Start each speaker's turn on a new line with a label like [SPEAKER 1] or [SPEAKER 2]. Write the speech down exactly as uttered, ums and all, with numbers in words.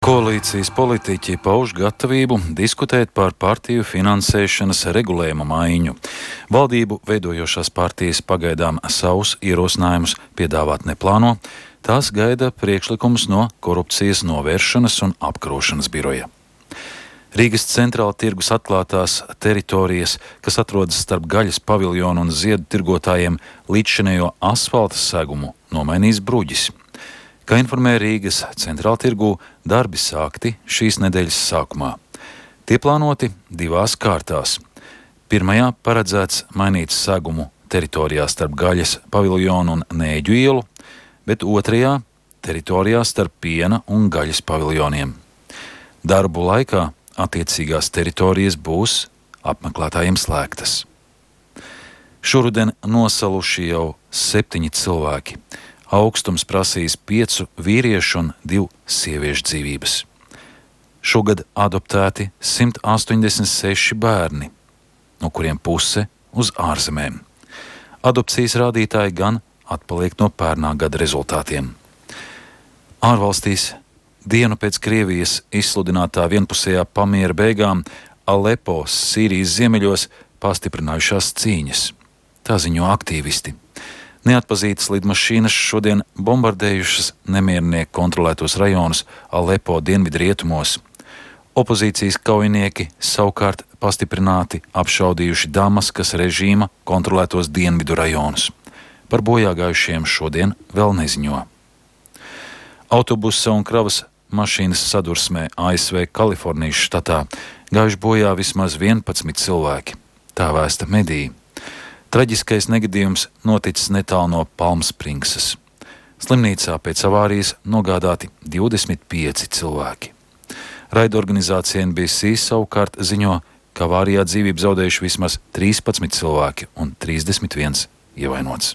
[SPEAKER 1] Koalīcijas politiķi pauž gatavību diskutēt par partiju finansēšanas regulējuma maiņu. Valdību veidojošās partijas pagaidām savus ierosinājumus piedāvāt neplāno, tās gaida priekšlikums no korupcijas novēršanas un apkarošanas biroja. Rīgas centrāla tirgus atklātās teritorijas, kas atrodas starp gaļas paviljonu un ziedu tirgotājiem, līdzšinējo asfalta segumu nomainīs bruģis. Kā informē Rīgas centrāla tirgū, darbi sākti šīs nedēļas sākumā. Tie plānoti divās kārtās. Pirmajā paredzēts mainīt segumu teritorijā starp gaļas paviljonu un Nēģu ielu, bet otrajā teritorijā starp piena un gaļas paviljoniem. Darbu laikā attiecīgās teritorijas būs apmeklētājiem slēgtas. Šoruden nosaluši jau septiņi cilvēki. Augstums prasīs piecu vīriešu un divu sieviešu dzīvības. Šogad adoptēti simt astoņdesmit seši bērni, no kuriem puse uz ārzemēm. Adopcijas rādītāji gan atpaliek no pērnā gada rezultātiem. Ārvalstīs dienu pēc Krievijas izsludinātā vienpusējā pamiera beigām Alepo, Sīrijas ziemeļos, pastiprinājušās cīņas. Tā ziņo aktīvisti. Neatpazītas lidmašīnas šodien bombardējušas nemiernieku kontrolētos rajonus Alepo dienvidu rietumos. Opozīcijas kaujinieki savukārt pastiprināti apšaudījuši Damaskas režīma kontrolētos dienvidu rajonus. Par bojāgājušiem šodien vēl neziņo. Autobusa un kravas mašīnas sadursmē A S V Kalifornijas štatā gājuši bojā vismaz vienpadsmit cilvēki. Tā vēsta mediji. Traģiskais negadījums noticis netālu no Palmspringsas. Slimnīcā pēc avārijas nogādāti divdesmit pieci cilvēki. Raidorganizācija N B C savukārt ziņo, ka avārijā dzīvību zaudējuši vismaz trīspadsmit cilvēki un trīsdesmit viens ievainots.